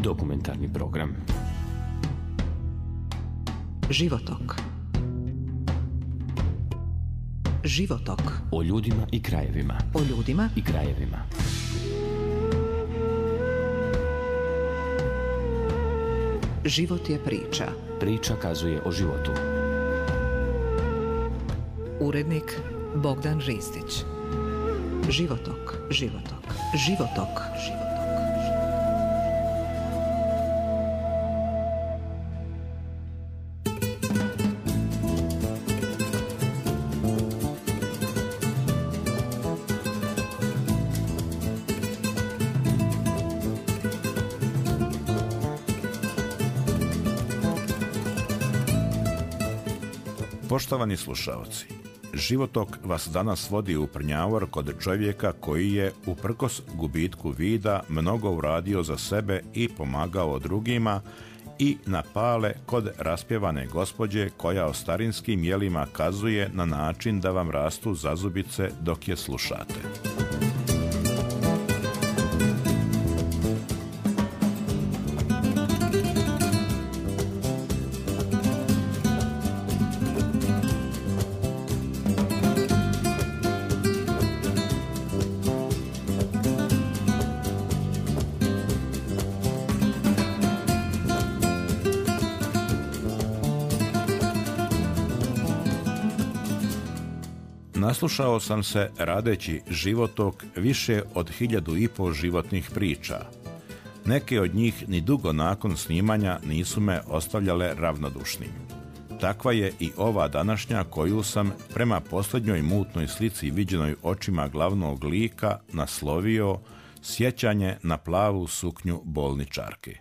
Dokumentarni program. Životok. Životok. O ljudima i krajevima. O ljudima i krajevima. Život je priča. Priča kazuje o životu. Urednik Bogdan Ristić. Životok. Životok. Životok. Životok. Poštovani slušaoci, Životok vas danas vodi u Prnjavor kod čovjeka koji je, uprkos gubitku vida, mnogo uradio za sebe i pomagao drugima, i na Pale kod raspjevane gospođe koja o starinskim jelima kazuje na način da vam rastu zazubice dok je slušate. Naslušao sam se, radeći Životok, više od 1500 životnih priča. Neke od njih ni dugo nakon snimanja nisu me ostavljale ravnodušnim. Takva je i ova današnja koju sam, prema posljednjoj mutnoj slici viđenoj očima glavnog lika, naslovio Sjećanje na plavu suknju bolničarke.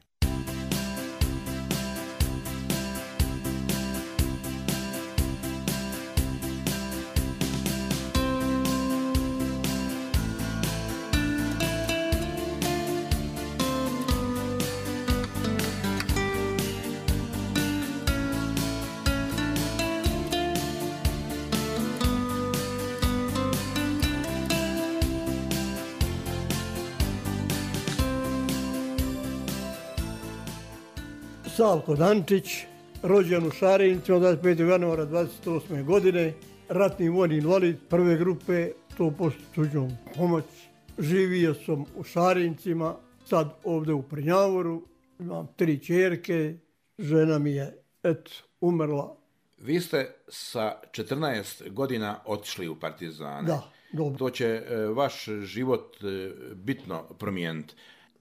Savko Dančić, rođen u Šarincima 25. januara 28. godine, ratni vojni invalid prve grupe, 100% tuđom pomoć. Živio sam u Šarincima, sad ovdje u Prnjavoru, imam 3 ćerke, žena mi je umrla. Vi ste sa 14 godina otišli u partizane. Da, dobro. To će vaš život bitno promijeniti.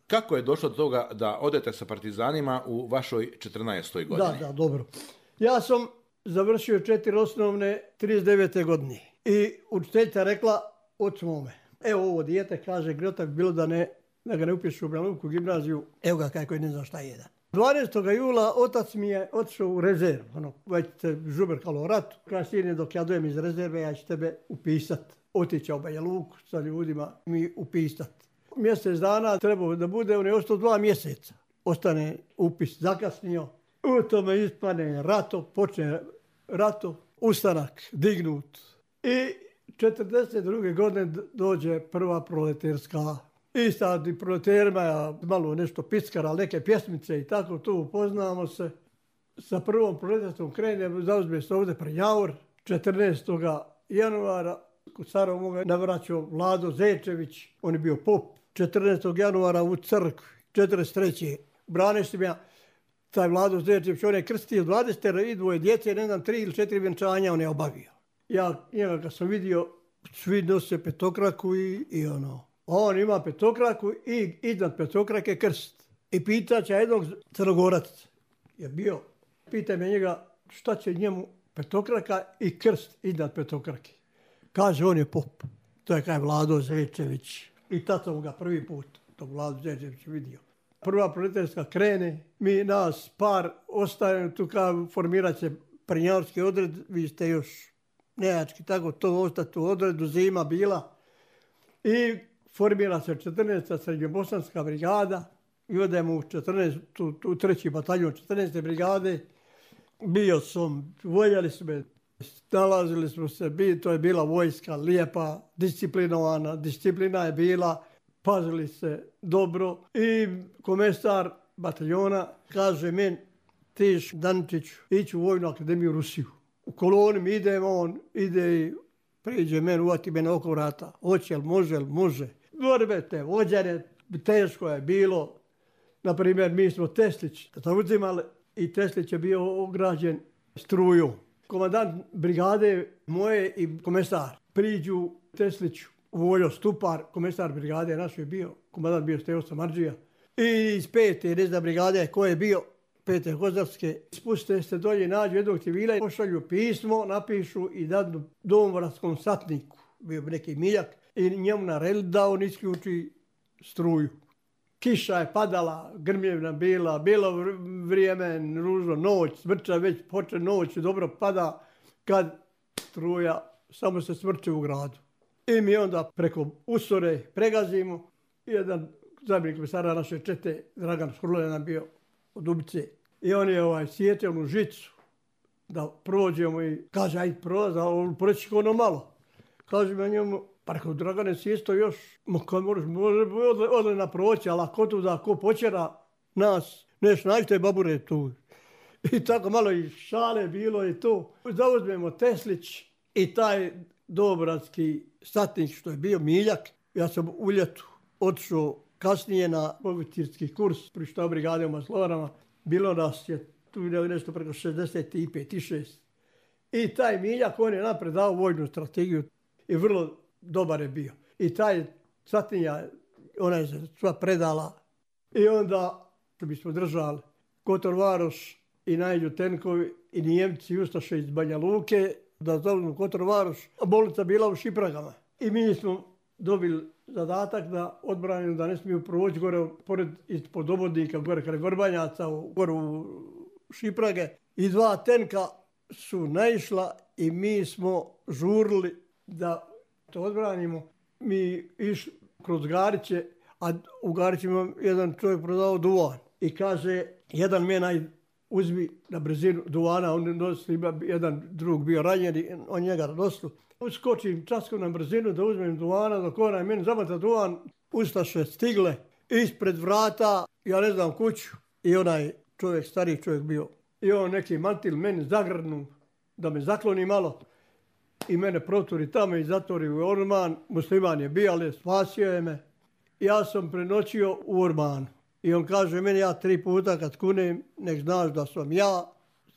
Kako je došlo do toga da odete sa partizanima u vašoj 14. godini? Da, dobro. Ja sam završio 4 osnovne 39. godine. I učiteljica rekla ocu mome, evo ovo dijete, kaže, grota bi bilo da ga ne upišu u Branovku gimnaziju, evo ga kako je ne znam šta jedan. 12. jula otac mi je otišao u rezervu, već se žubrkalo o ratu. Kaže, sine, dok ja dojem iz rezerve, ja ću tebe upisat. Otići u Banja Luku sa ljudima mi upisat. Mjesec dana trebao da bude, on je ostao 2 mjeseca. Ostane upis zakasnio, u tome ispane rato, počne rato, ustanak dignut. I 42. godine dođe prva proleterska. I sad i proleterima ja malo nešto piskara, neke pjesmice i tako, tu upoznamo se. Sa prvom proleterskom krenem, zauzme se ovdje Prnjavor, 14. januara, kod starog moga navraćao Vlado Zečević, on je bio pop. 14. januara u crkvi, 43. Braniš ja, taj Vlado Zečević, on je krstio 22 djece, ne znam, 3 ili 4 vjenčanja on je obavio. Ja njega kad sam vidio, svi nose petokraku i ono. On ima petokraku i iznad petokrake krst. I pitaće jednog Crnogoraca je bio. Pita me njega šta će njemu petokraka i krst iznad petokrake. Kaže, on je pop. To je kaj Vlado Zečević. I tad sam ga prvi put, tog Vladu Zečević, vidio. Prva proletarska krene, mi nas par ostajemo tu kao formirat će prnjavorski odred, vi ste još nejački, tako to ostati u odredu, zima bila. I formira se 14. srednjobosanska brigada i odemo u 14. u 3. bataljon 14. brigade. Bio sam, voljeli su me, nalazili smo se, to je bila vojska lijepa, disciplinovana, disciplina je bila, pazili se dobro i komesar bataljona, kaže meni, tiš Daničiću, ići u Vojnu akademiju u Rusiju. U koloni mi idemo, on ide i priđe meni, uvati me na oko vrata. Hoće, može. Borbe te, vođene, teško je bilo. Naprimjer, mi smo Teslić uzimali i Teslić je bio ograđen strujom. Komandant brigade moje i komesar priđu Tesliću, Voljo Stupar, komesar brigade naš je bio, komandant bio Stevo Samardžija. I iz 5. rezda brigade ko je bio, 5. Hozarske, spuste se dolje, nađu jednog civila i pošalju pismo, napišu i dadu domoradskom satniku, bio bi neki miljak, i njemu naredili da on isključi struju. Kiša je padala, grmljevna bila, bilo vrijeme, ružno, noć, smrča već poče noć, dobro pada kad struja samo se smrče u gradu. I mi onda preko usore pregazimo. Jedan zamjenik komesara naše čete, Dragan Škrlo je nam bio od Ubice. I on je sjetio onu žicu da prođemo i kaže, ajde prolazi, ali proći ono malo. Kaže me njemu, pa rekao, Dragane, si isto još, može odlena proći, ali ako tu da ko počera nas, neš nađite babure tu. I tako malo i šale bilo i to. Zauzmemo Teslić i taj dobratski satnik što je bio miljak. Ja sam u ljetu otišao kasnije na oficirski kurs pri štabu brigade u Maslovarama. Bilo nas je tu nešto preko 65 i 6. I taj miljak, on je napred dao vojnu strategiju i vrlo dobar je bio. I taj satnija, ona je se sva predala. I onda bismo držali Kotor Varoš i Najđu Tenkovi i Nijemci i Ustaše iz Banja Luke da zauzmu Kotor Varoš, a bolnica bila u Šipragama. I mi smo dobili zadatak da odbranimo da ne smiju proći gore pored ispod obodnika, gore kraj Vrbanjaca, gore u Šiprage. I 2 tenka su naišla i mi smo žurili da to odbranimo. Mi išli kroz Gariće, a u Garićima jedan čovjek prodao duvan. I kaže, jedan mena uzmi na brzinu duvana, on nosi, jedan drug bio ranjen, on njega nosio. Uskočim časkom na brzinu da uzmem duvana, dok onaj meni zamata duvan, ustaše stigle ispred vrata, ja ne znam kuću. I onaj čovjek, stariji čovjek bio. I on neki mantil meni zagrnu da me zakloni malo. I mene proturi tamo i zatvori u orman. Musliman je bio, ali spasio je me. Ja sam prenoćio u ormanu. I on kaže meni, ja 3 puta kad kunem, nek znaš da sam ja,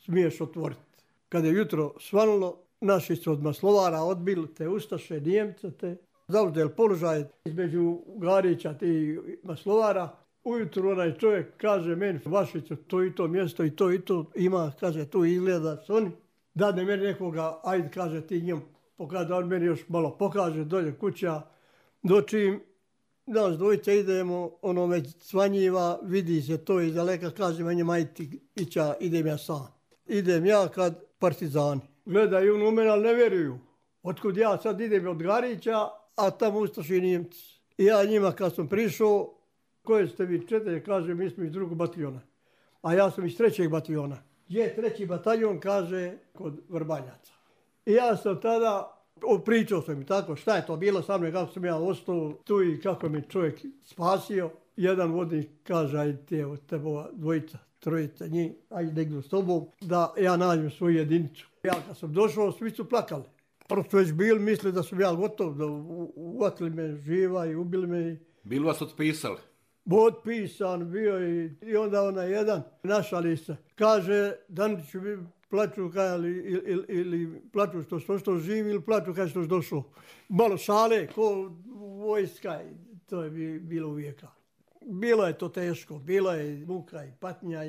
smiješ otvoriti. Kad je jutro svanulo, naši su od Maslovara odbili te Ustaše, Nijemce te. Zauzeli položaj između Garića i Maslovara. Ujutru onaj čovjek kaže meni, Vašiću, to i to mjesto i to ima, kaže, tu izgleda s oni. Dadne meni nekoga, ajde, kaže, ti njemu pokaže, da on meni još malo pokaže, dolje kuća. Dočim nas dvojice idemo, ono već cvanjiva, vidi se to iz daleka, kaže meni, majti, idem ja sam. Idem ja kad partizani. Gledaju u mene, ali ne vjeruju. Otkud ja sad idem od Garića, a tamo Ustaši Nijemci. I ja njima kad sam prišao, koje ste vi 4, kaže, mi smo iz 2. bataljona. A ja sam iz 3. bataljona. Je 3. bataljon, kaže, kod Vrbanjaca. I ja sam tada, pričao sam mi tako, šta je to bilo sa mnom, kako sam ja ostao tu i kako mi čovjek spasio. Jedan vodnik kaže, ajde, evo, tebova 2, 3 njih, ajde negdje s tobom, da ja nađem svoju jedinicu. Ja kad sam došao, svi su plakali. Prvo su već bili, mislili da sam ja gotov, da uvatili me živa i ubili me. Bili vas otpisali? Otpisan bio i onda onaj jedan našali se. Kaže, Daniću, plaću ili plaću što živi ili plaću kaj što je došao. Malo šale, ko vojska, to je bilo uvijek. Bilo je to teško, bilo je muka i patnja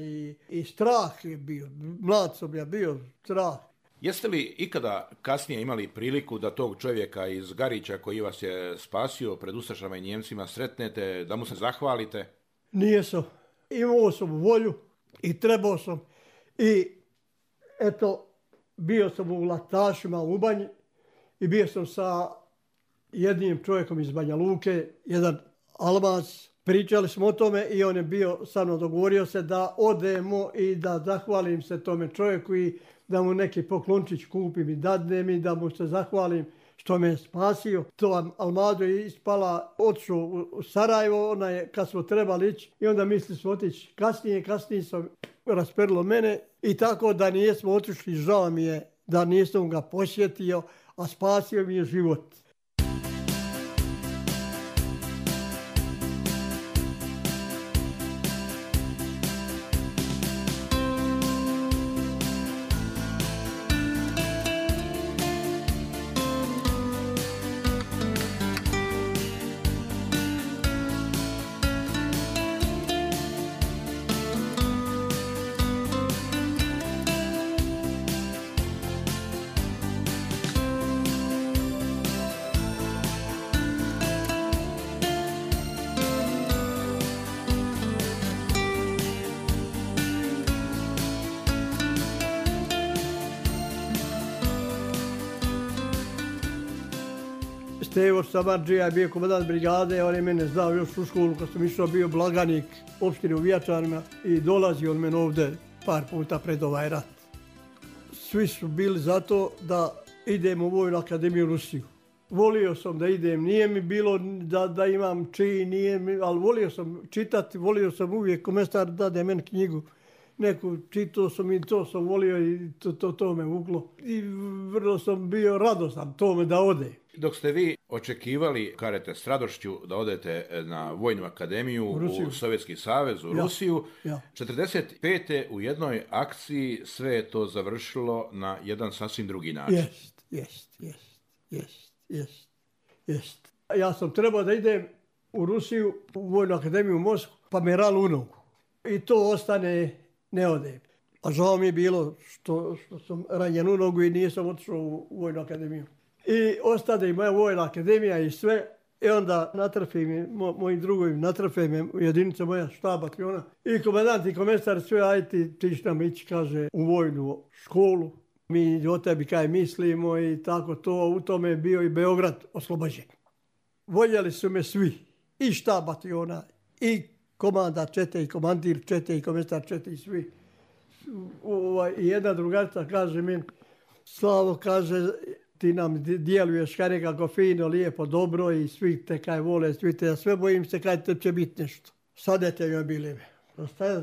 i strah je bio. Mlad sam ja bio, strah. Jeste li ikada kasnije imali priliku da tog čovjeka iz Garića koji vas je spasio pred Ustašama i Njemcima sretnete, da mu se zahvalite? Nijesam. Imao sam volju i trebao sam. I eto, bio sam u Laktašima u Banji i bio sam sa jednim čovjekom iz Banja Luke, jedan Almas. Pričali smo o tome i on je bio sa mnom, dogovorio se da odemo i da zahvalim se tome čovjeku i da mu neki poklončić kupim i dadnem i da mu se zahvalim što me je spasio. To Almado je ispala, otišao u Sarajevo, ona je, kad smo trebali ići, i onda mislili smo otići kasnije sam rasperilo mene i tako da nijesmo otišli, žao mi je da nisam ga posjetio, a spasio mi je život. Stevo Samardžija je bio komandant brigade, on je mene znao još u školu kad sam išao, bio blaganik opštine u Vijačanima i dolazio on mene ovdje par puta pred ovaj rat. Svi su bili zato da idem u Vojnu akademiju u Rusiju. Volio sam da idem, nije mi bilo da imam čin, ali volio sam čitati, volio sam uvijek, komesar dade meni knjigu, neku čitao sam i to sam volio i to me vuklo. I vrlo sam bio radostan tome da ode. Dok ste vi očekivali, kažete s radošću, da odete na Vojnu akademiju u Sovjetski savez, u Rusiju, 45. u jednoj akciji sve je to završilo na jedan sasvim drugi način. Jest. Ja sam trebao da idem u Rusiju, u Vojnu akademiju u Moskvu, pa me ralo u nogu. I to ostane, ne odem. A žao mi je bilo što sam ranjen u nogu i nisam otišao u Vojnu akademiju. I ostade i moja Vojna akademija i sve. I onda natrfe mi, moji drugovi natrfe me, jedinica moja štab bataljona. I komandant i komesar sve, ajde ti nam ići, kaže, u vojnu školu. Mi o tebi kaj mislimo i tako to. U tome je bio i Beograd oslobođen. Voljeli su me svi. I štab bataljona, i komanda čete, i komandir čete, i komesar čete, i svi. I jedna drugarica kaže mi, Slavo, kaže, ti nam djeluješ kaj nekako fino, lijepo, dobro i svi te kaj vole, svi te, ja sve bojim se kaj te će biti nešto. Sad te joj bili.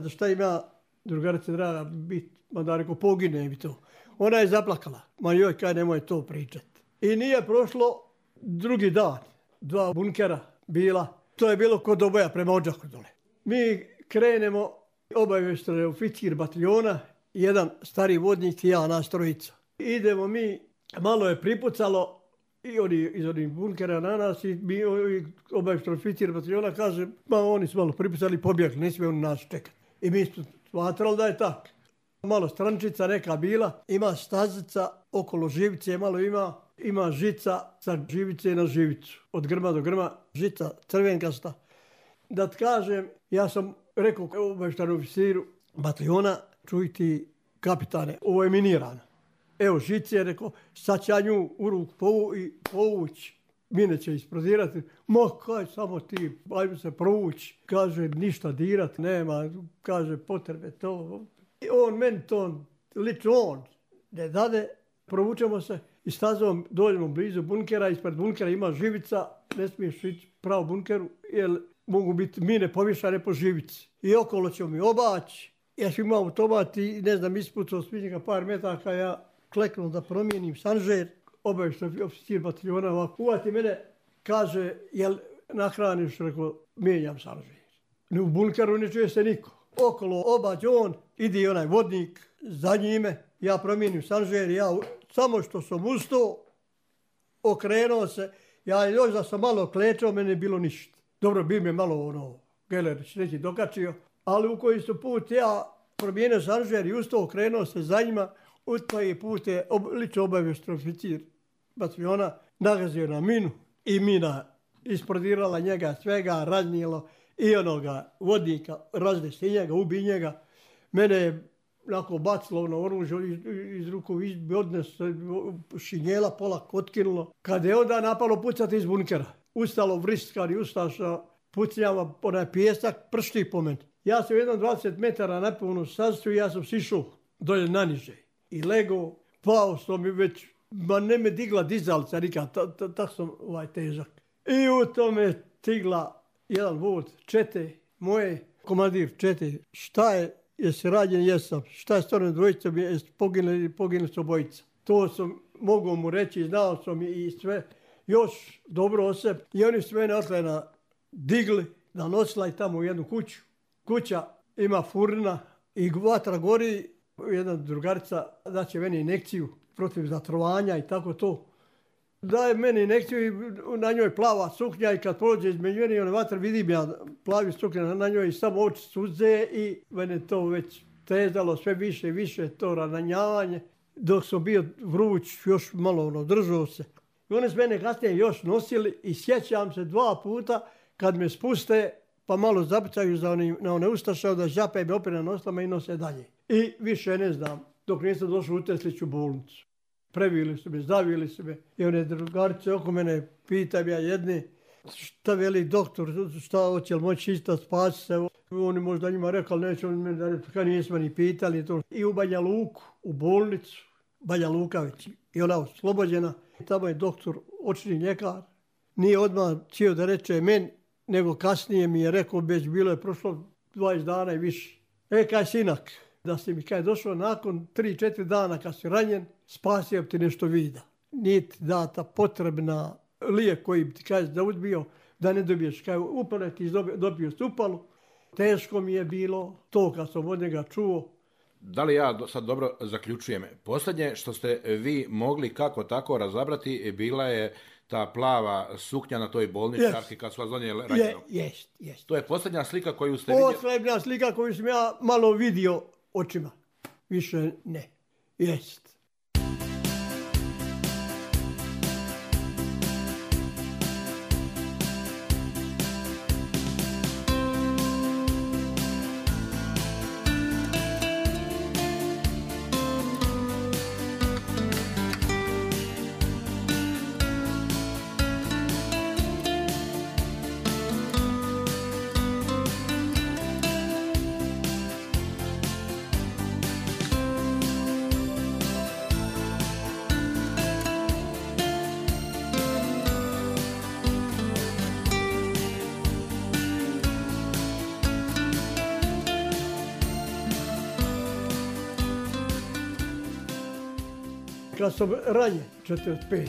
Šta ima drugarice draga biti, ma da reko pogine mi to. Ona je zaplakala, ma joj kaj nemoj to pričati. I nije prošlo drugi dan, 2 bunkera bila, to je bilo kod Doboja prema Odžaku dole. Mi krenemo, obavještaj oficir bataljona, jedan stari vodnik i ja, nas trojica. Idemo mi, malo je pripucalo i oni iz onih bunkera na nas i mi obavještaj oficir bataljona kaže, ma oni su malo pripucali i pobjegli, ne smiju oni nas čekati. I mi smo smatrali da je tako. Malo strančica neka bila, ima stazica okolo živice, malo ima žica sa živice na živicu. Od grma do grma, žica crvenkasta. Da ti kažem, ja sam rekao obavještajnom oficiru bataljona, čuj ti kapitane, ovo je minirano. Evo žice je rekao, sad će ja nju u ruku povući. Mine će isprodirati. Ma kaj, samo ti, ajmo se provući. Kaže, ništa dirati nema, kaže, potrebe to. I on meni to, lično on, ne dade, provučemo se i stazom dođemo blizu bunkera, ispred bunkera ima živica, ne smiješ ići pravo bunkeru, jer mogu biti mine povješane po živici. I okolo ćemo mi obaći, ja sam imao automat i ne znam, ispucao s njega par metaka, ja kleknuo da promijenim sanžer, obavještaj oficir bataljona ovako, uvati mene, kaže, jel nahraniš, rekao, mijenjam sanžer. U bunkeru ne čuje se niko. Okolo obađe on, ide onaj vodnik za njime, ja promijenim sanžer, ja samo što sam ustao, okrenuo se, ja još da sam malo klečao, mene je bilo ništa. Dobro, bi me malo Gelerić neki dokačio, ali u koji su put ja promijenio sanžer i ustao, okrenuo se za njima, u koji put je lično obavještaj oficir bataljona nagazio na minu i mina isprodirala njega svega, raznijelo i onoga vodnika, razdesi njega, ubi njega. Mene je onako bacilo na oružje iz ruku, odnes šinjela, pola otkinulo. Kad je onda napalo pucati iz bunkera, ustalo vriskari, ustaša, pucnjava, onaj pijesak, pršti po meni. Ja sam jednom 20 metara napunu sastu i ja sam sišao dolje naniže. I lego, pao sam i već Ma ne me digla dizalica nikad, tako sam težak. I u tome stigla jedan vod čete moje, komandir čete, šta je, jesi rađen, jesam, šta je stvarno dvojica, jesi poginuli su obojica. To sam mogao mu reći, znao sam i sve, još dobro o sebi. I oni su mene otlena digli, nanosila i tamo u jednu kuću. Kuća ima furna i vatra gori, jedna drugarica daće meni injekciju protiv zatrovanja i tako to. Daje meni injekciju i na njoj plava suknja i kad prođe između meni one vatre vidim ja plavi suknja na njoj i samo oči suze i mene to već tezalo sve više i više to ranjavanje. Dok sam bio vruć, još malo držao se. I one s mene kasnije još nosili i sjećam se 2 puta kad me spuste pa malo zapucaju na one ustaše, onda žape me opet na noslama i nose dalje. I više ne znam, dok nisam došao u Tesliću bolnicu. Previli su me, zavili su me i one drugarice oko mene, pitam ja jedni, šta veli doktor, šta hoće li moći ista spasi se. Oni možda njima rekao, neće oni meni da rekao, nismo ni pitali to. I u Banja Luku, u bolnicu, Banja Luka već, i ona oslobođena. Tamo je doktor, očni ljekar, nije odmah htio da reče meni, nego kasnije mi je rekao, već bilo je prošlo 20 dana i više. Kaj sinak, da si mi kaj došao nakon 3-4 dana kad si ranjen, spasio bi ti nešto vida. Nije ti data potrebna lijek koji bi ti kaže da uzbio, da ne dobiješ kaj upale, ti dobio si upalu. Teško mi je bilo to kad sam od njega čuo. Da li ja sad dobro zaključujem? Posljednje što ste vi mogli kako tako razabrati bila je ta plava suknja na toj bolničarki kad su vas donijeli ranjeno. Jest. To je posljednja slika koju ste vidjeli? Posljednja slika koju sam ja malo vidio očima. Više ne. Jest. Kad sam ranjen, 45.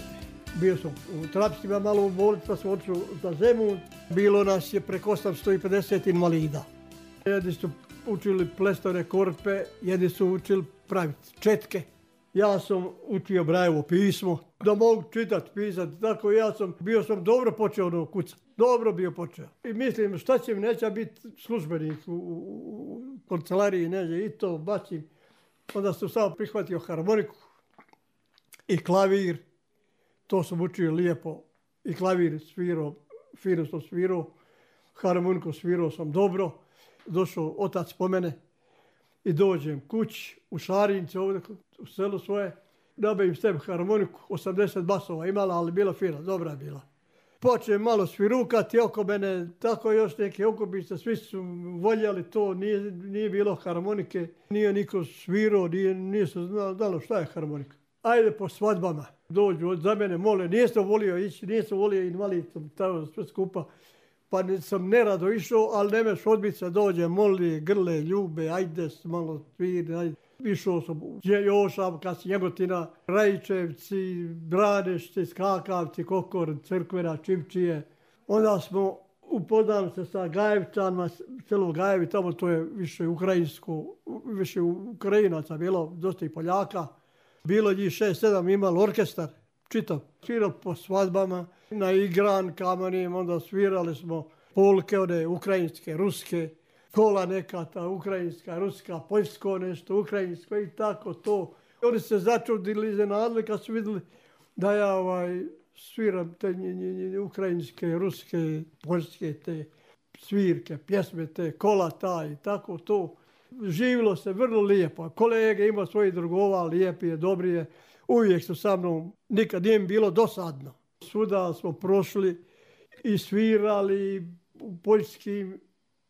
Bio sam u Trapstima, malo u bolnici, pa sam otišao za Zemun. Bilo nas je preko 850 invalida. Jedni su učili plestovne korpe, jedni su učili praviti četke. Ja sam učio Brajevo pismo, da mogu čitati, pisati. Tako bio sam dobro počeo kucati. Dobro bio počeo. I mislim, šta će mi, neće biti službenik u kancelariji, neće, i to bacim. Onda sam samo prihvatio harmoniku i klavir. To sam učio lijepo. I klavir svirao, fino sam svirao. Harmoniku svirao sam dobro. Došao otac po mene i dođem kući u Šarince ovdje u selu svoje. Nabavim sebi harmoniku, 80 basova imala, ali bila fina, dobra je bila. Počnem malo svirukati oko mene, tako još neke okupice, svi su voljeli to, nije bilo harmonike, nije niko svirao, nije se znalo šta je harmonika. Ajde po svadbama, dođu za mene, mole, nisam volio ići, nisam volio invalid, tamo sve skupa. Pa sam nerado išao, ali nemeš odbiti se, dođe, moli, grle, ljube, ajde malo sviri, ajde. Išao sam u Jošav, Njegotina, Rajičevci, Branešci, Skakavci, Kokor, Crkvena, Čivčije. Onda smo upoznali se sa Gajevčanima, selo Gajevi, tamo to je više ukrajinsko, više Ukrajinaca bilo, dosta i Poljaka. Bilo njih 6-7, imali orkestar, čitav. Svirali po svadbama, na igrankama, onda svirali smo polke, one ukrajinske, ruske, kola neka, ta ukrajinska, ruska, poljsko nešto, ukrajinsko i tako to. Oni se začudili, iznenadili kad su vidjeli da ja sviram te ukrajinske, ruske, poljske, te svirke, pjesme, te kola ta i tako to. Živilo se vrlo lijepo. Kolege ima svojih drugova, lijepi je, dobri je. Uvijek su sa mnom, nikad nije mi bilo dosadno. Svuda smo prošli i svirali u poljskim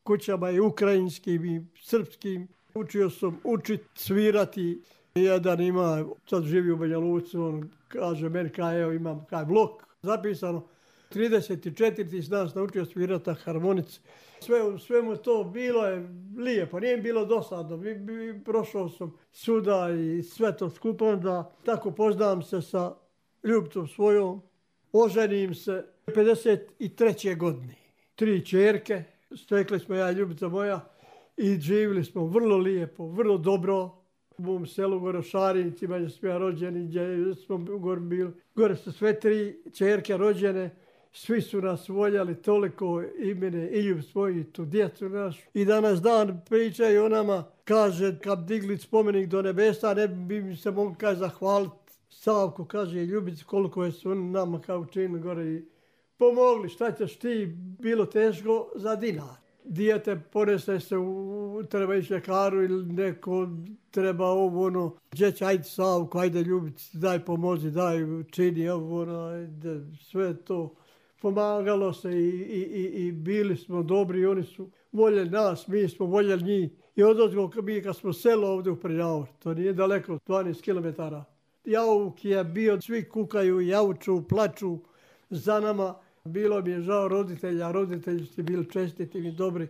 kućama i ukrajinskim i srpskim. Učio sam učiti svirati Jedan ima, sad živi u Banja Luci, on kaže meni, evo imam blok zapisano, 34 s nas naučio svirati harmonice. Sve mu to bilo je lijepo, nije bilo dosadno. Prošao sam suda i sve to skupo, onda tako poznam se sa ljubicom svojom. Oženim se 53. godine. 3 ćerke, stekli smo ja i ljubica moja i živjeli smo vrlo lijepo, vrlo dobro. U mom selu gore u Šarincima gdje smo ja rođeni, gdje smo gore bili. Gore su sve 3 ćerke rođene. Svi su nas voljeli toliko i mene i ljub svoju, tu djecu našu. I danas dan pričaju o nama, kaže, kad digli spomenik do nebesa, ne bi mi se mogli zahvaliti. Savko kaže, ljubici, koliko je su oni nama kao učinili gore i pomogli. Šta ćeš ti, bilo teško za dinar. Dijete ponese se, treba ići ljekaru ili neko treba ovo, ono, djeć, ajde Savko, ajde ljubici, daj pomozi, daj učini ovo, ono, ajde, sve to. Pomagalo se i bili smo dobri, oni su voljeli nas, mi smo voljeli njih. I odozgo mi kad smo selo ovdje u Prljavor, to nije daleko, 12 km. Jauk je bio, svi kukaju, jauču, plaču za nama. Bilo mi je žao roditelja, roditelji su bili čestiti i dobri.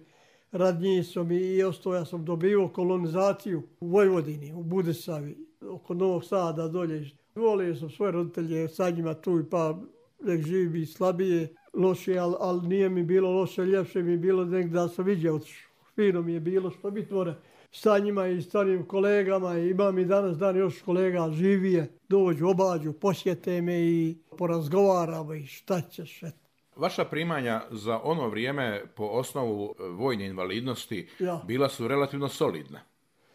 Rad njih sam i ostao, ja sam dobio kolonizaciju u Vojvodini, u Budesavi, oko Novog Sada dolje. Volio sam svoje roditelje, sa njima tu pa nek živi slabije, loše, ali nije mi bilo loše, ljepše mi je bilo nek da sam vidio otišao. Fino mi je bilo što mi tvore sa njima i starim kolegama. Imam i danas dan još kolega živije, dođu, obađu, posjete me i porazgovaramo i šta ćeš. Vaša primanja za ono vrijeme po osnovu vojne invalidnosti bila su relativno solidna.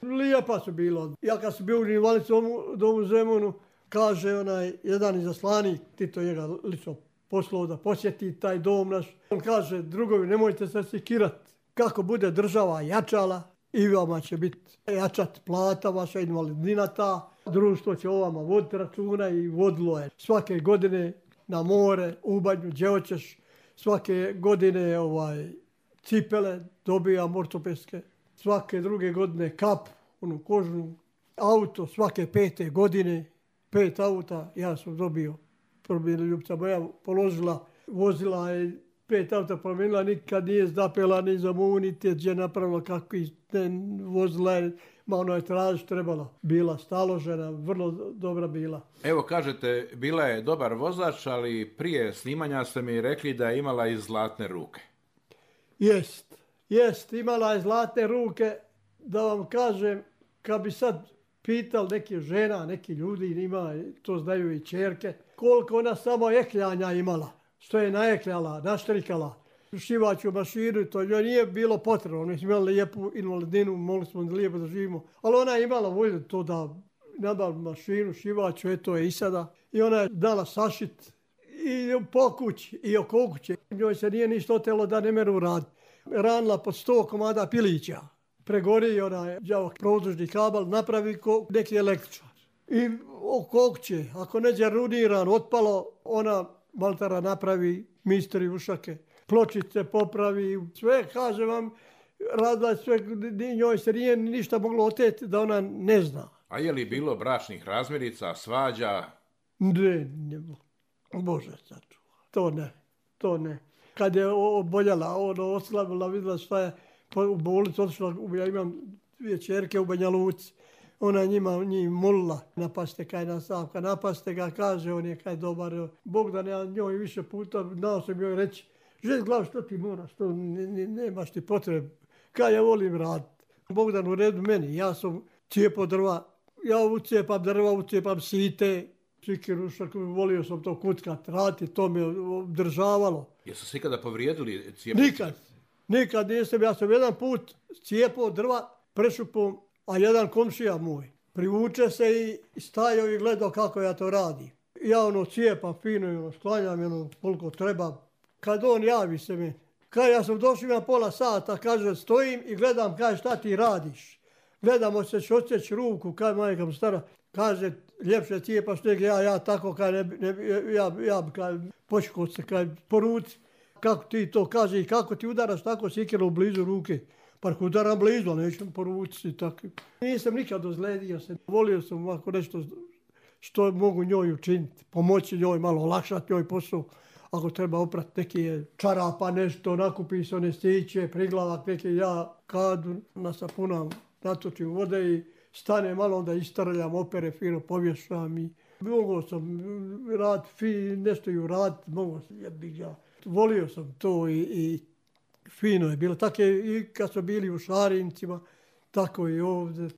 Lijepa su bilo. Ja kad sam bio u invalidnom domu Zemunu, kaže onaj jedan izaslanik, Tito njega lično poslao da posjeti taj dom naš. On kaže, drugovi, nemojte se sekirati. Kako bude država jačala, i vama će biti jačat plata, vaša invalidnina ta. Društvo će o vama voditi računa i vodilo je svake godine na more, u banju, gdje hoćeš. Svake godine cipele dobijam ortopedske. Svake druge godine kap, onu kožnu, auto svake 5. godine. 5 auta ja sam dobio. Probila ljubica moja, položila, vozila je 5 auta promijenila, nikad nije zapela ni za munite, gdje napravila kako vozila je, ma ono je traž trebala. Bila staložena, vrlo dobra bila. Evo kažete, bila je dobar vozač, ali prije snimanja ste mi rekli da je imala i zlatne ruke. Jest, imala je zlatne ruke, da vam kažem, kad bi sad pitali neki žena, neki ljudi, ima, to znaju i ćerke, koliko ona samo ekljanja imala, što je naekljala, naštrikala, šivaću mašinu, to njoj nije bilo potrebno, mi smo imali lijepu invalidinu, mogli smo lijepo da živimo, ali ona je imala volju to da nabavim mašinu, šivaću, eto je i sada, i ona je dala sašit i po kući i oko kuće. Njoj se nije ništa otelo da ne meru raditi. Ranila po 100 komada pilića. Pregori onaj produžni kabel, napravi neki električar. I oko kuće, ako neđe runiran, otpalo, ona maltara napravi, misteri ušake, pločice popravi, sve, kaže vam, radila sve, njoj se nije ništa moglo oteti da ona ne zna. A je li bilo bračnih razmirica, svađa? Ne, Bože sačuva, to ne. Kad je oboljela, oslabila, vidjela šta je, u bolnicu otišla, ja imam 2 ćerke u Banja Luci, ona njih molila, napaste kaj na Savka, napaste ga, kaže, on je kaj dobar, Bog da ne, njoj više puta, dao sam joj reći, žeć glav, što ti moraš, što nemaš ti potrebe, kaj ja volim raditi. Bogdan u redu meni, ja sam cijepo drva, ja ucijepam drva, ucijepam site, sikirušak, volio sam to kutkat, raditi, to me državalo. Jesu se ikada povrijedili cijepo? Nikad nisam, ja sam jedan put cijepao drva prešupom, a jedan komšija moj privuče se i stajao i gledao kako ja to radim. Ja cijepam fino, sklanjam koliko treba. Kad on javi se mi, kaj ja sam došao na pola sata, kaže stojim i gledam kaj šta ti radiš. Gledamo se odsjeći ruku, kaj majka mu stara, kaže ljepše cijepaš nego ja tako kaj ja počekao se kaj poruci. Kako ti to kaže i kako ti udaraš tako sikirom blizu ruke. Park udaram blizu, ali nećem poručiti tako. Nisam nikad ozledio se. Volio sam ovako nešto što mogu njoj učiniti. Pomoći njoj, malo olakšati njoj posao. Ako treba oprati neke čarapa, nešto, nakupi se one stiće, priglavak neke, ja kadu nasapunam, natočim vode i stane malo, onda istarljam, opere, fino povješam i mogao sam nešto i uraditi, mogao sam, ja. Volio sam to i fino je bilo. Tako je i kad smo bili u Šarincima, tako i ovdje.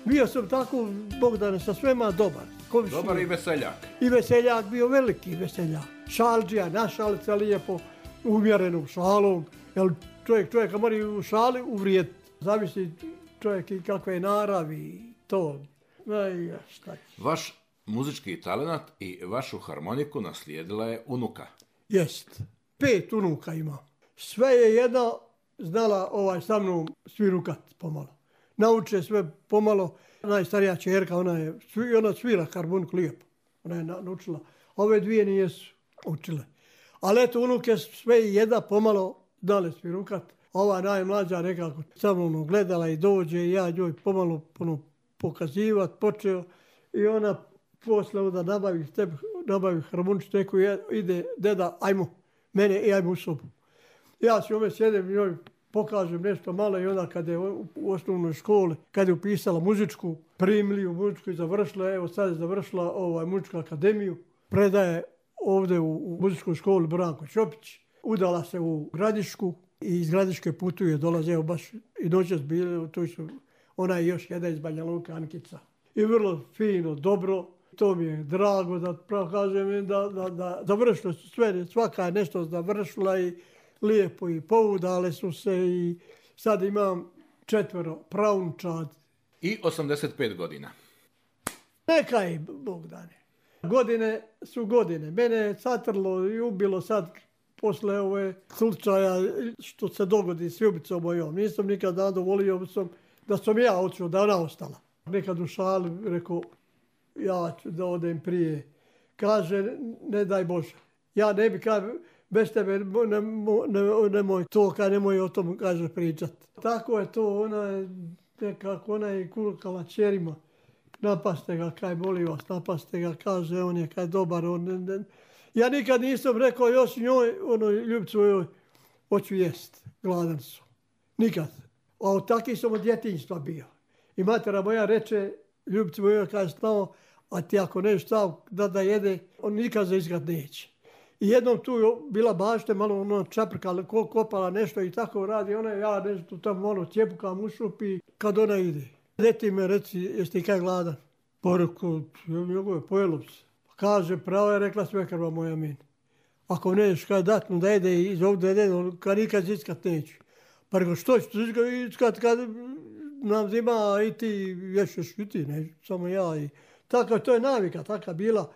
Bio sam tako, Bogdane, sa svema dobar. Dobar i veseljak. I veseljak, bio veliki veseljak. Šalđija, našalit se lijepo, umjerenom šalom. Jer čovjek mora u šali uvrijediti. Zavisi čovjek i kakve je naravi, to. Šta. Vaš muzički talent i vašu harmoniku naslijedila je unuka. Jest. 5 unuka ima. Sve je jedna znala sa mnom svirukat pomalo. Nauče sve pomalo. Najstarija čerka, ona svira harmoniku lijepo. Ona je naučila. Ove dvije nijesu učile. Ali eto, unuke sve jedna pomalo dale svirukat. Ova najmlađa nekako sa mnom gledala i dođe i ja njoj pomalo pokazivat počeo. I ona posle da nabavi harmoničku neku ide, deda, ajmo, mene i ajmo u sobu. Ja si ove sjedem i njoj pokažem nešto malo i onda kada je u osnovnoj školi, kada je upisala muzičku, primili u muzičku i završila, evo sad je završila muzičku akademiju, predaje ovdje u muzičkoj školi Branko Čopić, udala se u Gradišku i iz Gradiške putuje, dolaze, evo baš i noćas bili, ona je još jedna iz Banja Luka, Ankica. I vrlo fino, dobro, to mi je drago da kažem da završilo su sve, svaka je nešto završila i lijepo i poudale su se i sad imam 4 praunčad. I 85 godina. Neka je, Bogdane. Godine su godine. Mene je satrlo i ubilo sad posle ove slučaja što se dogodi s ljubicom mojom. Nisam nikad zadovolio da sam ja otišao, da ona ostala. Nekad u šali rekao, ja ću da odem prije. Kaže, ne daj Bože. Ja ne bi bez tebe nemoj to, nemoj o tom, kaže, pričati. Tako je to, ona je kulkala čerima. Napaste ga, kaj boli vas, napaste ga, kaže, on je kaj dobar. Ja nikad nisam rekao još njoj, ljubicu joj, hoću jest, gladan su. Nikad. A taki sam od djetinjstva bio. I matera moja reče, ljubicu joj, kaže, stao, a ti ako nešto stav da jede, on nikad za izgled neće. I jednom tu je bila bašte, malo čaprkala, kopala nešto i tako radi. Ja nešto tamo malo cjepukam u šupi kad ona ide. Deti me reci, jesi ti kaj gladan? Pa rekao, pojelo bi se. Kaže, pravo je rekla svekrva moja meni. Ako nećeš kaj dat mu da jede iz ovdje jede, kad nikad ziskat neću. Pa rekao, što ću ziskat kad nam zima i ti ješeš i ti, ne, samo ja. Tako, to je navika, taka bila.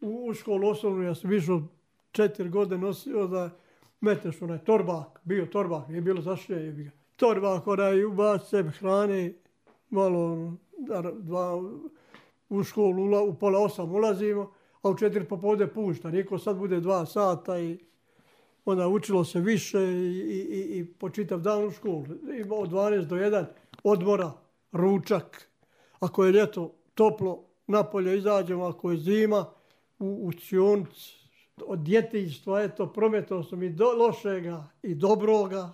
U školu osnovnu ja sam išao 4 godine nosio da meteš onaj torbak, bio torbak, nije bilo zašlje. Torbak, onaj ubaci sebe hrane, malo u školu u pola 8 ulazimo, a u 4 popodne pušta. Niko sad bude 2 sata i onda učilo se više i po čitav dan u školu. Ima od 12 do 1 odmora, ručak. Ako je ljeto toplo, napolje izađemo, ako je zima, u učionicu. Od djetinjstva, prometao sam i lošega i dobroga.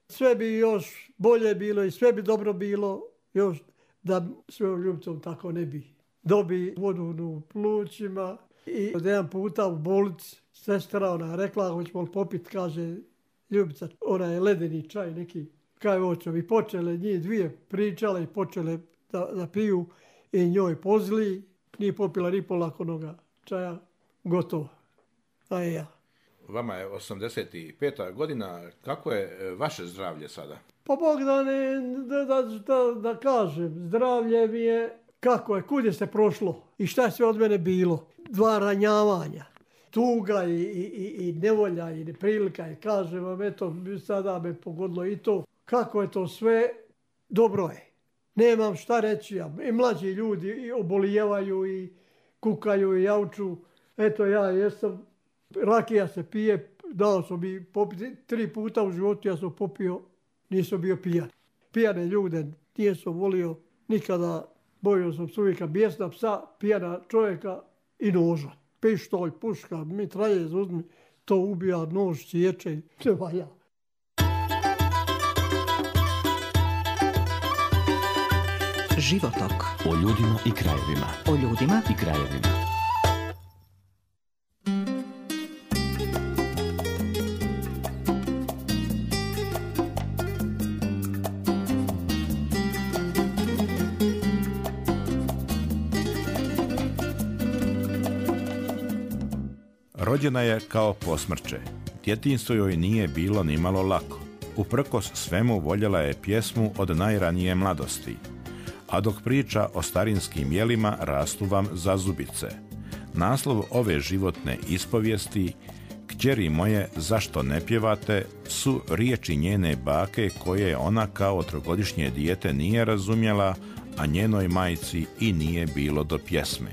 Sve bi još bolje bilo i sve bi dobro bilo još da svojom ljubicom tako ne bi. Dobi vodu u plućima i od jedan puta u bolnici sestra ona rekla, hoćemo li popit, kaže Ljubica, ona je ledeni čaj neki. kaj oćem. I počele njih dvije pričale i počele da piju i njoj pozli. Nije popila ni pola onoga čaja, gotovo. A ja. Vama je 85. godina, kako je vaše zdravlje sada? Pa Bogdane, da kažem, zdravlje mi je, kako je, kud je se prošlo i šta je sve od mene bilo. 2 ranjavanja, tuga i nevolja i neprilika i kažem vam, eto, sada me pogodilo i to. Kako je to sve, dobro je. Nemam šta reći, i mlađi ljudi obolijevaju i kukaju i jauču. Eto ja jesam, rakija se pije, dao sam mi popiti 3 puta u životu, ja sam popio, nisam bio pijan. Pijane ljude nisam volio nikada, bojio sam se uvijek bijesna psa, pijana čovjeka i noža. Pištolj, puška, mitraljez, uzmi, to ubija, nož, sječe, sve valja. Životok. O ljudima i krajevima. O ljudima i krajevima. Rođena je kao posmrče. Djetinjstvo joj nije bilo nimalo lako. Uprkos svemu voljela je pjesmu od najranije mladosti. A dok priča o starinskim jelima rastu vam zazubice. Naslov ove životne ispovijesti, Kćeri moje, zašto ne pjevate, su riječi njene bake koje ona kao 3-godišnje dijete nije razumjela, a njenoj majci i nije bilo do pjesme.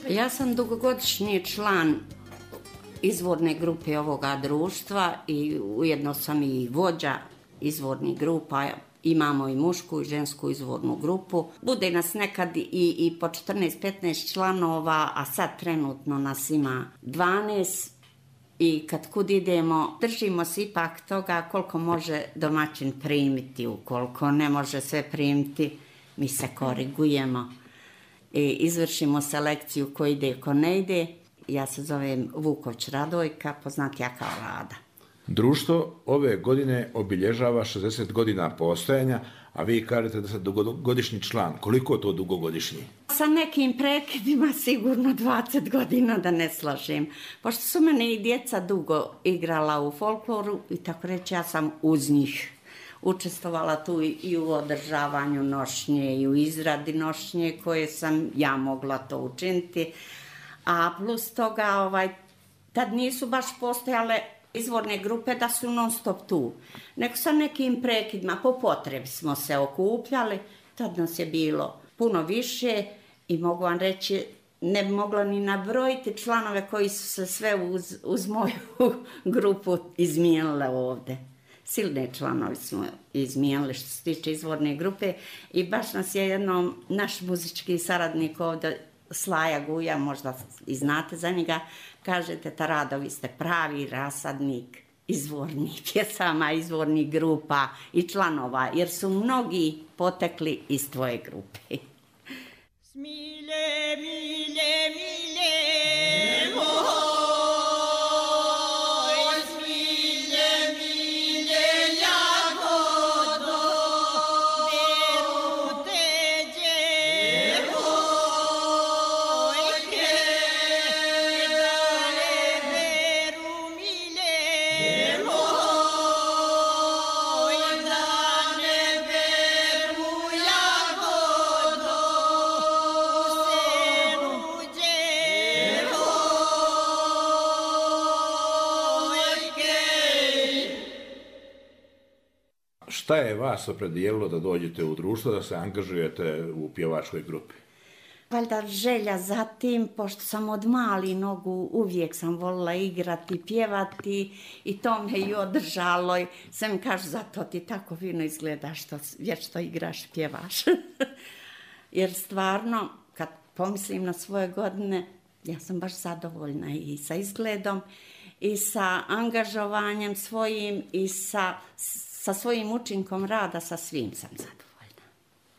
Ja sam dugogodišnji član izvorne grupe ovoga društva i ujedno sam i vođa izvornih grupa. Imamo i mušku i žensku izvornu grupu. Bude nas nekad i po 14-15 članova, a sad trenutno nas ima 12. I kad kud idemo, držimo se ipak toga koliko može domaćin primiti. Ukoliko ne može sve primiti, mi se korigujemo. I izvršimo selekciju ko ide, ko ne ide. Ja se zovem Vuković Radojka, poznatija kao Rada. Društvo ove godine obilježava 60 godina postojanja, a vi kažete da ste dugogodišnji član. Koliko je to dugogodišnji? Sa nekim prekidima sigurno 20 godina, da ne slažem. Pošto su mene i djeca dugo igrala u folkloru i tako reći ja sam uz njih. Učestvovala tu i u održavanju nošnje i u izradi nošnje koje sam ja mogla to učiniti. A plus toga, tad nisu baš postojale izvorne grupe da su non stop tu. Nego sa nekim prekidima, po potrebi smo se okupljali. Tad nas je bilo puno više i mogu vam reći, ne bi mogla ni nabrojiti članove koji su se sve uz moju grupu izmijenile ovdje. Silne članovi smo izmijenili što se tiče izvorne grupe i baš nas je jednom naš muzički saradnik ovdje, Slaja Guja, možda i znate za njega, kažete Tarado, vi ste pravi rasadnik izvornih pjesama, izvornih grupa i članova, jer su mnogi potekli iz tvoje grupe. Smilje, milje, milje, Šta je vas opredijelilo da dođete u društvo, da se angažujete u pjevačkoj grupi? Valjda želja za tim, pošto sam od mali nogu uvijek sam volila igrati, pjevati i to me i održalo. Sve mi kaže, zato ti tako fino izgledaš, vječno igraš, pjevaš. Jer stvarno, kad pomislim na svoje godine, ja sam baš zadovoljna i sa izgledom, i sa angažovanjem svojim, i sa svojim učinkom rada, sa svim sam zadovoljna.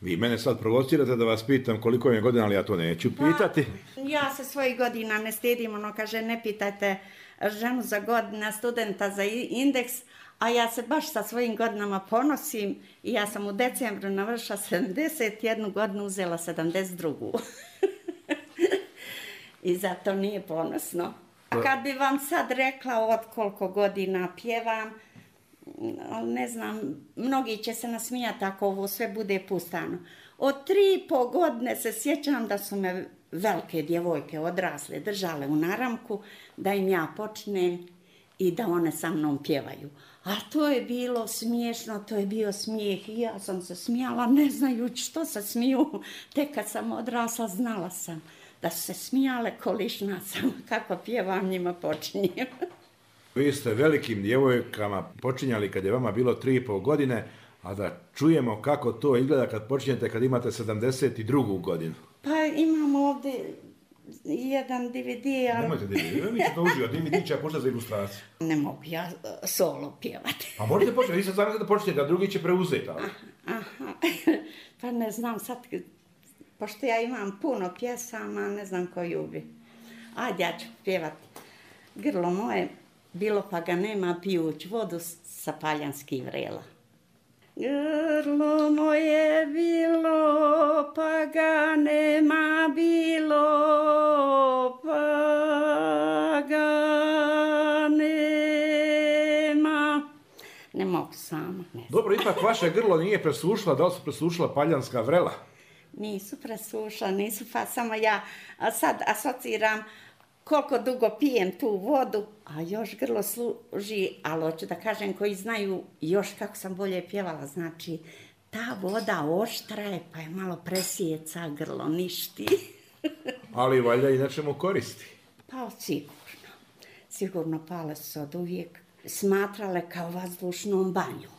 Vi mene sad provocirate da vas pitam koliko je godina, ali ja to neću pitati. Ja se svojih godina ne stidim, kaže, ne pitajte ženu za godina, studenta za indeks, a ja se baš sa svojim godinama ponosim i ja sam u decembru navršila 71 godinu, uzela 72. I zato nije ponosno. Kad bi vam sad rekla od koliko godina pjevam, ne znam, mnogi će se nasmijati ako ovo sve bude pustano. Od 3,5 godine se sjećam da su me velike djevojke odrasle držale u naramku, da im ja počnem i da one sa mnom pjevaju. A to je bilo smiješno, to je bio smijeh i ja sam se smijala ne znajući što se smiju. Tek kad sam odrasla znala sam da su se smijale kolišna sam, kako pjevam njima počinjem. Vi ste velikim djevojkama počinjali kad je vama bilo 3,5 godine, a da čujemo kako to izgleda kad počinjete kad imate 72. godinu. Pa imamo ovdje jedan DVD, ali... Nemojte DVD, mi ćete uživati, DVD će puštati za ilustraciju. Ne mogu ja solo pjevati. A možete početi, vi sad znam da počnete, a drugi će preuzeti. Aha, pa ne znam sad, pošto ja imam puno pjesama, ne znam koju bi. Ajde, ja ću pjevati. Grlo moje, bilo pa ga nema, pijuć vodu sa paljanskih vrela. Grlo moje bilo, pa ga nema, bilo, pa ga nema. Ne mogu sama. Dobro, ipak vaše grlo nije presušila, da li su presušila paljanska vrela? Nisu presušila, pa samo ja sad asociram koliko dugo pijem tu vodu, a još grlo služi, ali hoću da kažem koji znaju još kako sam bolje pjevala, znači ta voda oštra je pa je malo presjeca, grlo ništi. Ali valjda i nečemu koristi. Pa sigurno pale su od uvijek smatrale kao vazdušnom banju.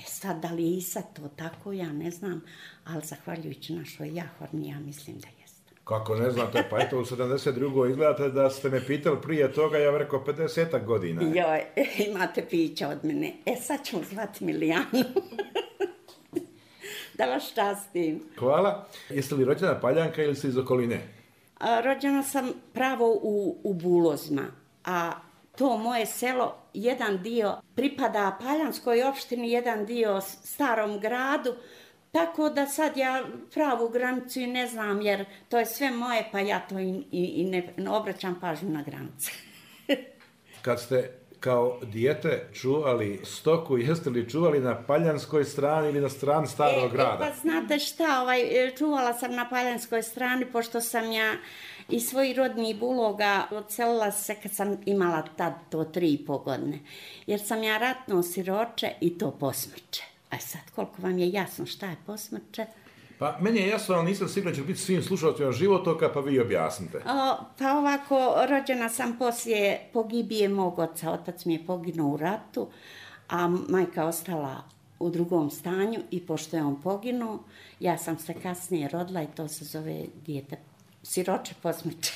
Sad da li i sad to tako, ja ne znam, ali zahvaljujući našoj jahorni, ja mislim da jeste. Kako ne znate, pa eto u 72. izgledate da ste me pitali prije toga, ja bih rekao 50 godina. Joj, imate pića od mene. Sad ćemo zvati Milijanu. Da vas častim. Hvala. Jeste li rođena Paljanka ili ste iz okoline? Rođena sam pravo u Bulozima, a to moje selo, jedan dio pripada Paljanskoj opštini, jedan dio Starom gradu, tako da sad ja pravu granicu i ne znam, jer to je sve moje, pa ja to i ne obraćam pažnju na granice. Kad ste kao dijete čuvali stoku, jeste li čuvali na Paljanskoj strani ili na strani Starog grada? Pa znate šta, čuvala sam na Paljanskoj strani, pošto sam ja iz svojih rodnih Buloga odselila se kad sam imala tad to 3,5 godine. Jer sam ja ratno siroče i to posmrče. A sad, koliko vam je jasno šta je posmrče? Pa meni je jasno, ali nisam sigurno će biti svim slušalcima životoka, pa vi objasnite. Pa ovako, rođena sam poslije pogibije mog oca. Otac mi je poginuo u ratu, a majka ostala u drugom stanju i pošto je on poginuo, ja sam se kasnije rodila i to se zove dijete siroče posmrče.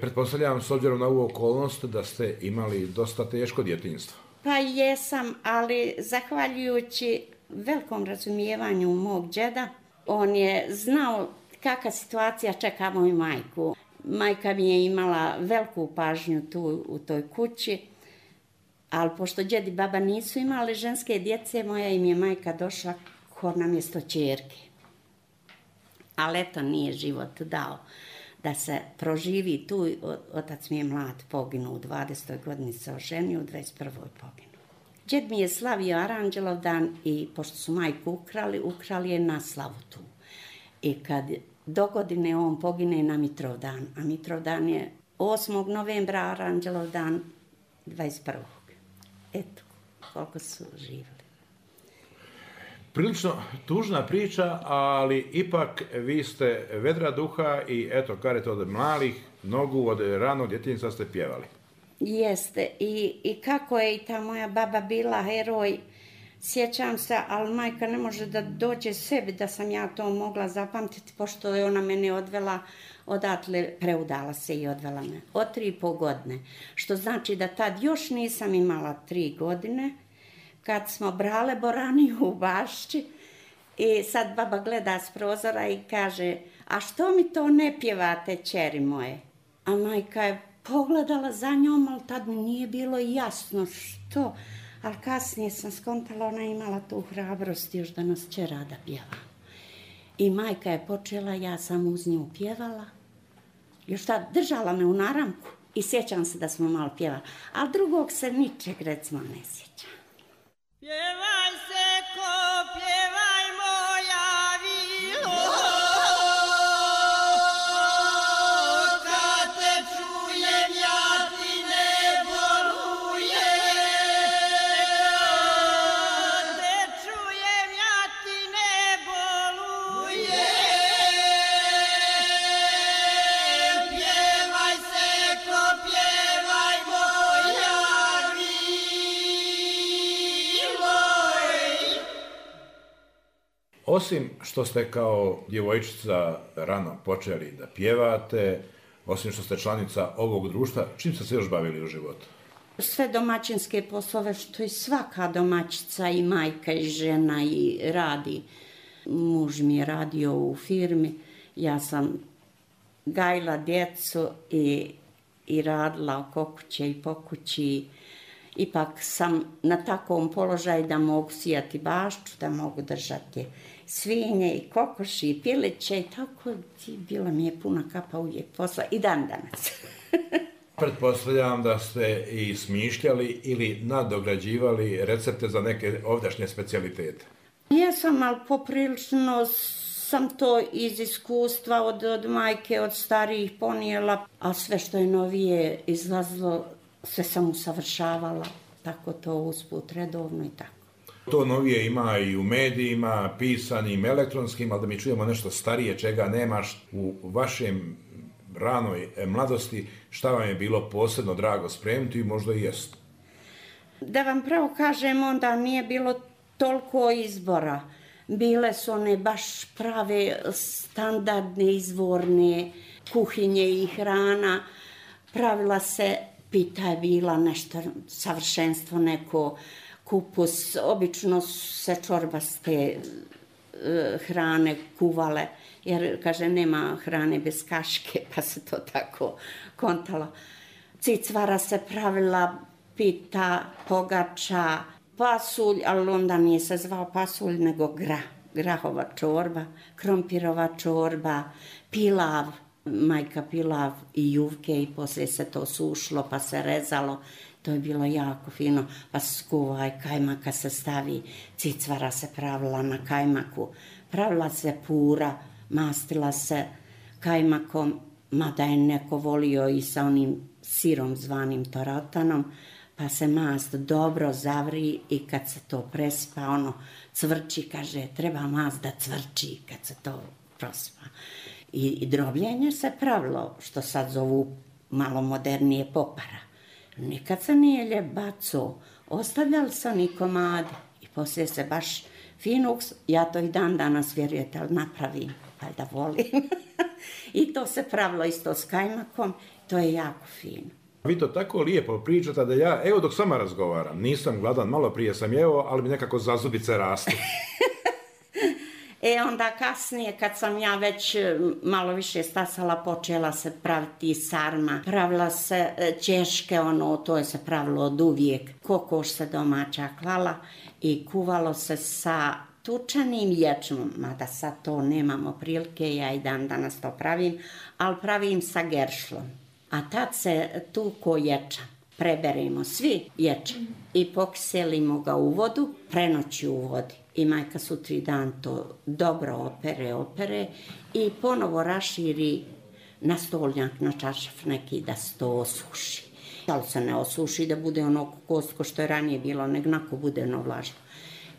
Pretpostavljam, s obzirom na ovu okolnost, da ste imali dosta teško djetinjstvo. Pa jesam, ali zahvaljujući velikom razumijevanju mog džeda, on je znao kakva situacija čeka moju majku. Majka mi je imala veliku pažnju tu u toj kući, ali pošto džed i baba nisu imali ženske djece, moja im je majka došla ko na mjesto ćerke. Ali eto, nije život dao da se proživi tu. Otac mi je mlad poginuo, u 20. godini se oženio, u 21. poginuo. Džed mi je slavio Aranđelovdan i pošto su majku ukrali je na slavu tu. I kad do godine on pogine na Mitrovdan, a Mitrovdan je 8. novembra, Aranđelovdan 21. Eto, koliko su živjeli. Prilično tužna priča, ali ipak vi ste vedra duha i eto, kažete od malih nogu, od ranog djetinjstva ste pjevali. Jeste. I kako je i ta moja baba bila heroj, sjećam se, ali majka ne može da dođe sebi da sam ja to mogla zapamtiti, pošto je ona mene odvela odatle, preudala se i odvela me od 3,5 godine. Što znači da tad još nisam imala 3 godine, kad smo brale boraniju u Bašči i sad baba gleda s prozora i kaže, a što mi to ne pjevate, ćeri moje? A majka je pogledala za njom, ali tad mi nije bilo jasno što, ali kasnije sam skontala, ona imala tu hrabrost još da nas će rada pjeva. I majka je počela, ja sam uz nju pjevala, još tad držala me u naramku i sjećam se da smo malo pjevali, ali drugog se ničeg recimo ne sjećam. Pjevaj se ko, pjevaj moja vilo, kad te čujem ja ti ne bolujem, te čujem ja ti ne bolujem, pjevaj se ko, pjevaj moja Osim što ste kao djevojčica rano počeli da pjevate, osim što ste članica ovog društva, čim ste se još bavili u životu? Sve domaćinske poslove što i svaka domaćica i majka i žena i radi. Muž mi je radio u firmi, ja sam gajila djecu i radila oko kuće i po kući. Ipak sam na takvom položaju da mogu sijati bašču, da mogu držati svinje i kokoši i piliće i tako, bila mi je puna kapa uvijek posla i dan danas. Pretpostavljam da ste i smišljali ili nadograđivali recepte za neke ovdašnje specijalitete. Jesam, ali poprilično sam to iz iskustva od majke, od starijih ponijela, a sve što je novije izlazilo, sve sam usavršavala, tako to usput redovno i tako. To novije ima i u medijima, pisanim, elektronskim, ali da mi čujemo nešto starije, čega nemaš u vašem ranoj mladosti, šta vam je bilo posebno drago spremiti i možda i jest? Da vam pravo kažem, onda nije bilo toliko izbora. Bile su one baš prave standardne izvorne kuhinje i hrana. Pravila se, pita je bila nešto savršenstvo, neko kupus. Obično se čorbaste hrane kuvale, jer, kaže, nema hrane bez kaške, pa se to tako kontalo. Cicvara se pravila, pita, pogača, pasulj, ali onda nije se zvao pasulj, nego grahova čorba, krompirova čorba, pilav, majka pilav i juvke i poslije se to sušlo pa se rezalo. To je bilo jako fino, pa se skuva i kajmaka se stavi, cicvara se pravila na kajmaku, pravila se pura, mastila se kajmakom, mada je neko volio i sa onim sirom zvanim torotanom, pa se mast dobro zavri i kad se to prespa, ono cvrči, kaže, treba mast da cvrči kad se to prospa. I drobljenje se pravilo, što sad zovu malo modernije popara. Nikad se nije ljep baco, ostavljali se oni komade i poslije se baš fino, ja to i dan danas, vjerujete, ali napravim, valjda volim. I to se pravilo isto s kajmakom, to je jako fino. Vi to tako lijepo pričate da ja, evo dok sama razgovaram, nisam gladan, malo prije sam jeo, ali mi nekako zazubice rastu. Onda kasnije, kad sam ja već malo više stasala, počela se praviti sarma, pravila se ćeške, to je se pravilo od uvijek. Kokoš se domaća klala i kuvalo se sa tučanim ječmom, mada sad to nemamo prilike, ja i dan danas to pravim, ali pravim sa geršlom. A tad se tuko ječam. Preberemo svi ječam i pokiselimo ga u vodu, prenoći u vodi. I majka sutri dan to dobro opere i ponovo raširi na stolnjak, na čaršaf neki da se to osuši. Ali se ne osuši da bude ono kostko što je ranije bilo, nego nako bude ono vlažno.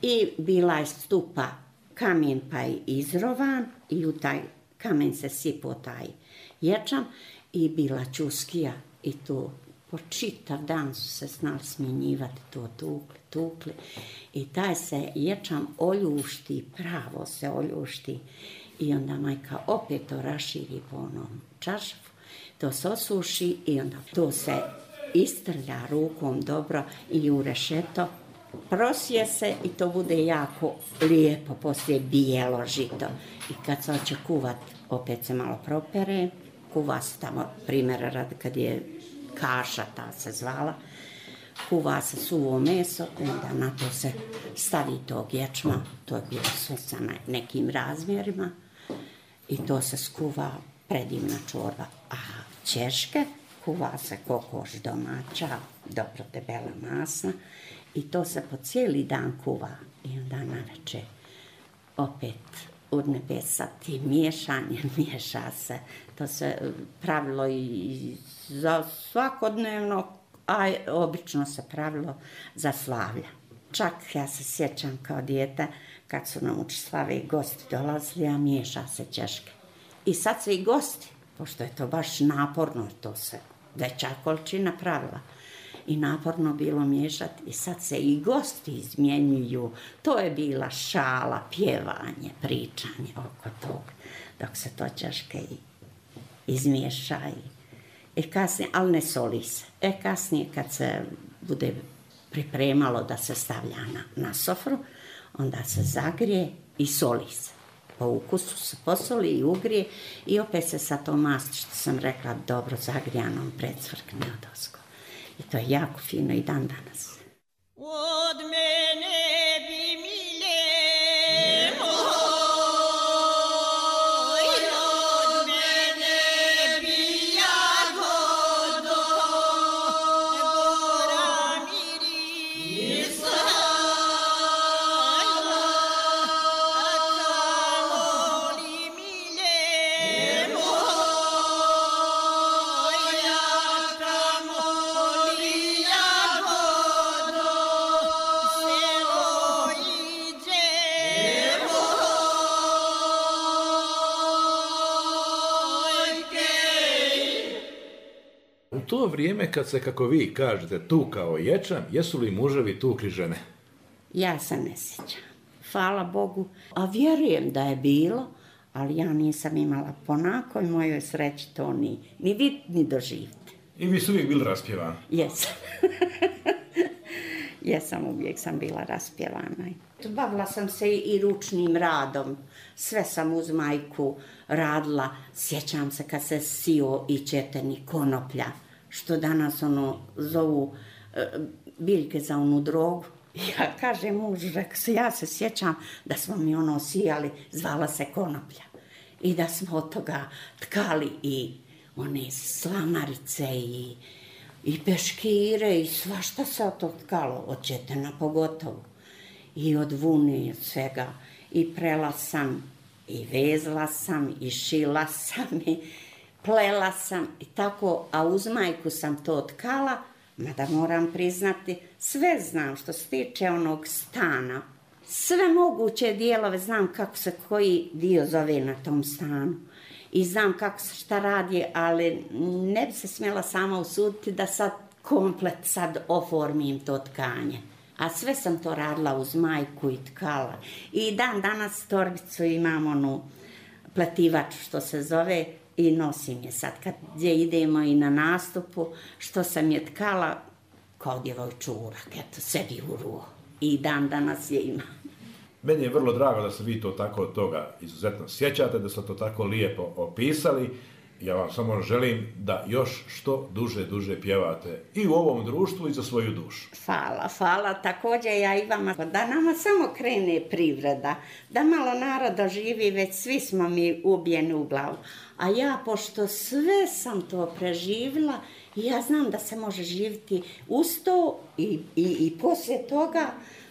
I bila je stupa kamen pa je izrovan i u taj kamen se sipao taj ječam i bila čuskija i to po čitav dan su se znali smjenjivati, to tukli. I taj se ječam oljušti, pravo se oljušti i onda majka opet to raširi po onom čaršafu, to se osuši i onda to se istrlja rukom dobro i u rešeto, prosije se i to bude jako lijepo, poslije bijelo žito. I kad se hoće kuvat, opet se malo propere, kuva se tamo, primjera radi kad je kaša, ta se zvala, kuva se suvo meso, onda na to se stavi tog ječma, to je bilo sve sa nekim razmjerima i to se skuva predivna čorba. A ćeške kuva se kokoš domaća, dobro debela masna i to se po cijeli dan kuva i onda naveče opet urnebesa tim miješanjem, miješa se. To se pravilo i za svakodnevno, a obično se pravilo za slavlja. Čak ja se sjećam kao dijete kad su nam uči slave i gosti dolazili, a miješa se ćeške. I sad se i gosti, pošto je to baš naporno, to se veća količina pravila. I naporno bilo miješati i sad se i gosti izmjenjuju. To je bila šala, pjevanje, pričanje oko toga, dok se to ćeške izmiješa i kasnije, ali ne soli se. Kasnije kad se bude pripremalo da se stavlja na sofru, onda se zagrije i soli se. Po ukusu se posoli i ugrije i opet se sa tom masti, što sam rekla, dobro zagrijanom predsvrkne odozgo. I to je jako fino i dan danas. Od mene bi mile moj, od mene bi jagodo, gora mirisa, kamoli mile moj, kamoli jagodo, selo iđe U to vrijeme kad se, kako vi kažete, tukao ječam, jesu li muževi tukli žene? Ja se ne sjećam. Hvala Bogu. A vjerujem da je bilo, ali ja nisam imala po nakoj mojoj sreći to ni vid, ni doživiti. I vi su uvijek bili raspjevani? Jesam. Jesam, uvijek sam bila raspjevana. Bavila sam se i ručnim radom. Sve sam uz majku radila. Sjećam se kad se sio i četeni konoplja, što danas zovu biljke za onu drogu. Ja kažem mužu, ja se sjećam da smo mi sijali, zvala se konoplja. I da smo od toga tkali i one slamarice i peškire i svašta se od toga tkalo, od četena pogotovo. I od vune i od svega. I prela sam, i vezla sam, i šila sam, i plela sam i tako, a uz majku sam to tkala, mada moram priznati, sve znam što se tiče onog stana. Sve moguće dijelove znam kako se koji dio zove na tom stanu. I znam kako se šta radi, ali ne bi se smjela sama usuditi da sad komplet sad oformim to tkanje. A sve sam to radila uz majku i tkala. I dan danas torbicu imam onu pletivaču što se zove i nosim je sad kad gdje idemo i na nastupu, što sam je tkala kao djevojčurak, eto, sebi u ruo. I dan danas je imam. Meni je vrlo drago da se vi to tako od toga izuzetno sjećate, da ste to tako lijepo opisali. Ja vam samo želim da još što duže pjevate i u ovom društvu i za svoju dušu. Hvala. Također ja i vama, da nama samo krene privreda, da malo naroda živi, već svi smo mi ubijeni u glavu. A ja, pošto sve sam to preživjela, ja znam da se može živjeti uz to i poslije toga,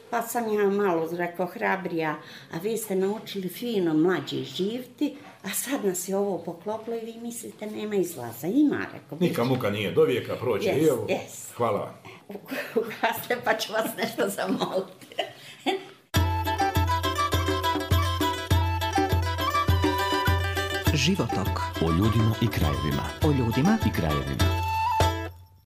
pa sam ja malo, rekao, hrabrija, a vi ste naučili fino mlađi živjeti, a sad nas je ovo poklopilo i vi mislite nema izlaza. Ima, rekao. Nika muka nije, do vijeka prođe. Yes. Hvala vam. Ugasite pa ću vas nešto zamoliti. Životok. O ljudima i krajevima. O ljudima I krajevima.